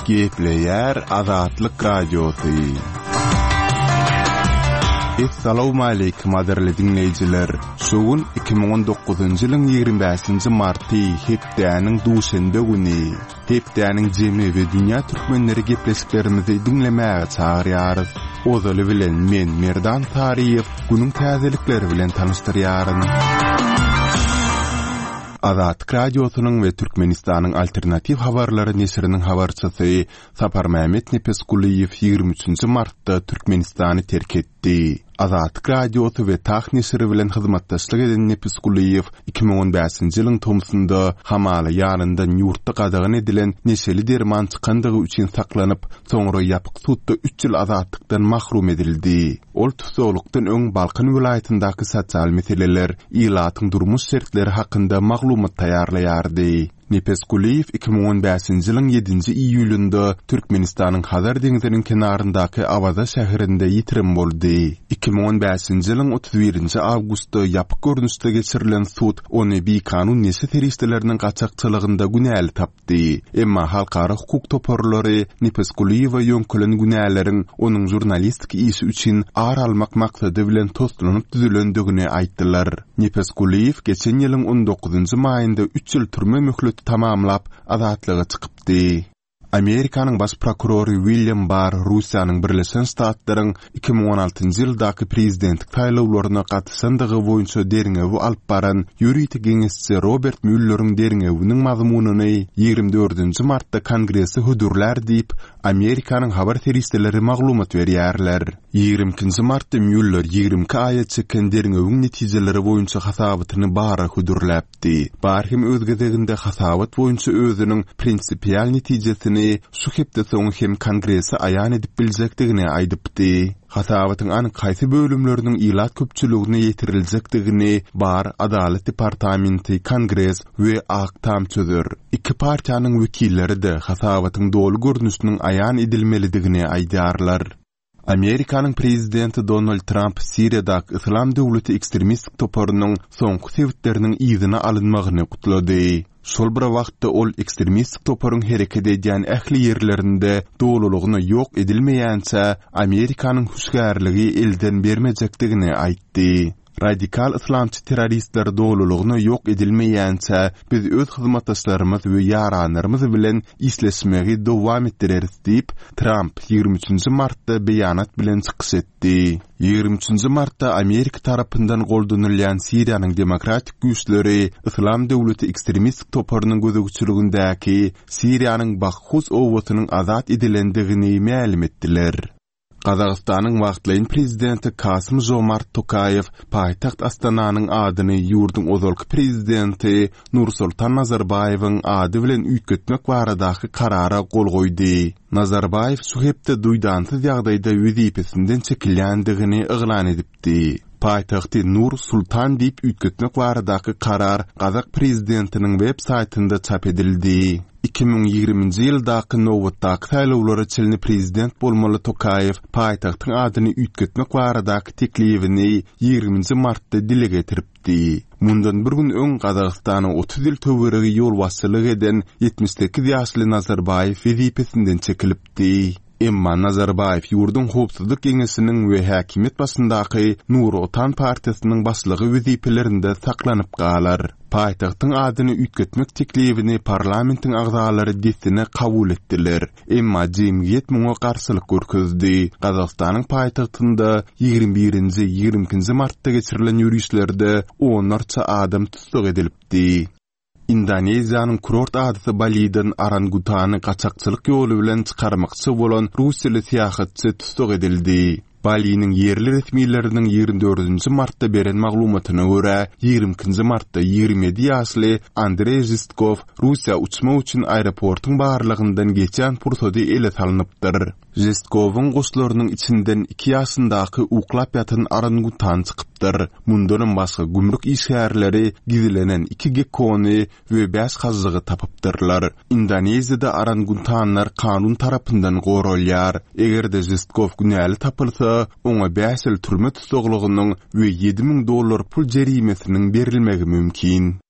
Gepleýär Azatlyk Radiosy. Essalawmaleýkim gadyrly diňleýjiler! Şu gün 2019-njy ýylyň 25-nji marty, hepdäniň duşenbe güni. Hepdäniň jemi we dünýä türkmenleri gepleşiklerimizi diňlemäge çagyrýarys. Ozaly bilen men Merdan Saryýew günüň täzelikleri bilen tanyşdyrýaryn. Azatlyk Radiosynyň we Türkmenistanyň Alternatiw habarlary neşiriniň habarçysy Saparmämmet Nepesgulyýew 23-nji martda Türkmenistany terk etdi. Azatlyk Radiosy we Tah neşiri bilen hyzmatdaşlyk eden Nepesgulyýew 2015-nji ýylyň tomsunda hamala ýanyndan ýurtda gadagan edilen neşeli derman çykandygy üçin saklanyp, soňra ýapyk sudda üç ýyl azatlykdan mahrum edildi. Ol tussaglykdan öň Balkan welaýatyndaky sosial meseleler, ilatyň durmuş şertleri hakynda maglumat taýýarlaýardy. Nepesgulyýew 2015-nji ýylyň ýedinji iýulynda Türkmenistanyň Hazar deňziniň kenaryndaky Awaza şäherinde ýitirim boldy. 2015-nji ýylyň 31-nji awgustda ýapyk görnüşde geçirilen sud ony bikanun neşe serişdeleriniň gaçakçylygynda günäli tapdy. Emma halkara hukuk toparlary Nepesgulyýewe ýöňkelen günäleriň onuň žurnalistik işi üçin ar almak maksady bilen toslanyp düzülendigini aýtdylar. Nepesgulyýew geçen ýylyň on dokuzynjy maýynda üç ýyl türme möhleti tamamlap, azatlyga çykypdy. Amerikanyň baş prokurory William Barr Russiýanyň Birleşen Ştatlaryň 2016-njy ýyldaky prezidentlik saýlawlaryna gatyşandygy boýunça derňewi alyp baran ýörite geňeşçi Robert Mülleriň derňewiniň mazmunyny 24-nji martda Kongrese hödürlär diýip, Amerikanyň habar serişdeleri maglumat berýärler. 22-nji martda Mýuller 22 aýa çeken derňewiň netijeleri boýunça hasabatyny Barra hödürläpdi. Barr hem öz gezeginde hasabat boýunça özüniň prinsipial netijesini şu hepde soňy hem Kongrese aýan edip biljekdigini aýdypdy. Hasabatyň anyk haýsy bölümleriniň ilat köpçüligine ýetiriljekdigini Barr, Adalat departamenti, Kongres we Ak Tam çözer. Iki partiýanyň wekilleri-de hasabatyň doly görnüşiniň aýan edilmelidigini aýdýarlar. Amerikanyň prezidenti Donald Tramp Siriýadaky Yslam döwleti ekstremistik toparynyň soňky sebitleriniň yzyna alynmagyny gutlady. Şol bir wagtda ol ekstremistik toparyň hereket edýän ähli ýerlerinde dolulygyna ýok edilmeýänçä Amerikanyň hüşgärligi elden bermejekdigini aýtdy. Radikal yslamçy terroristler dolulygyna ýok edilmeýänçä, biz öz hyzmatdaşlarymyz we ýaranlarymyz bilen işleşmegi dowam etdireris diýip, Tramp 23 nji martda beýanat bilen çykyş etdi. 23 nji martda Amerika tarapyndan goldanylýan Siriýanyň demokratik güýçleri Yslam döwleti ekstremistik toparynyň gözegçiligindäki Siriýanyň Baghuz obasynyň azat edilendigini mälim etdiler. Gazagystanyň wagtlaýyn prezidenti Kasym-Žomart Tokaýew paýtagt Astananyň adyny ýurduň ozalky prezidenti Nursultan Nazarbaýewiň ady bilen üýtgetmek baradaky karara gol goýdy. Nazarbaýew şu hepde duýdansyz ýagdaýda wezipesinden çekilýändigini yglan edipdi. Paýtagty Nur Sultan diýip üýtgetmek baradaky karar gazak prezidentiniň web saýtynda çap edildi. 2020-nji ýyldaky nobatdaky saýlawlara çenli prezident bolmaly Tokaýew paýtagtyň adyny üýtgetmek baradaky teklibini ýigriminji martda dile getiripdi. Mundan bir gün öň Gazagystana 30 ýyl töweregi ýolbaşçylyk eden 78 ýaşly Nazarbaýew wezipesinden çekilipdi. Emma Nazarbaýew ýurduň Howpsuzlyk geňeşiniň we häkimiýet başyndaky Nur Otan partiýasynyň başlygy wezipelerinde saklanyp galar. Paýtagtyň adyny üýtgetmek teklibini parlamentiň agzalary dessine kabul etdiler. Emma jemgyýet muňa garşylyk görkezdi. Gazagystanyň paýtagtynda 21-nji, 22-nji martda geçirilen ýörişlerde onlarça adam tussag edilipdi. Indoneziýanyň kurort adasy Baliden orangutany gaçakçylyk ýoly bilen çykarmakçy bolan russiýaly syýahatçy tussag edildi. Baliniň ýerli resmileriniň 24-nji martda beren maglumatyna görä, 22-nji martda 27 ýaşly Andreý Žestkow Russiýa uçmak üçin aeroportuň barlagyndan geçýän pursady ele salnypdyr. Žestkowyň goşlarynyň içinden iki ýaşyndaky uklap ýatan orangutan çykypdyr. Mundanam başga gümrük işgärleri gizlenen iki gekkony we bäş hažžygy tapypdyrlar. Indoneziýada orangutanlar kanun tarapyndan goralýar. Eger-de Žestkow günäli tapylsa, oňa bäş ýyl türme tussaglygynyň we 7000 dollar pul jerimesiniň berilmegi mümkin.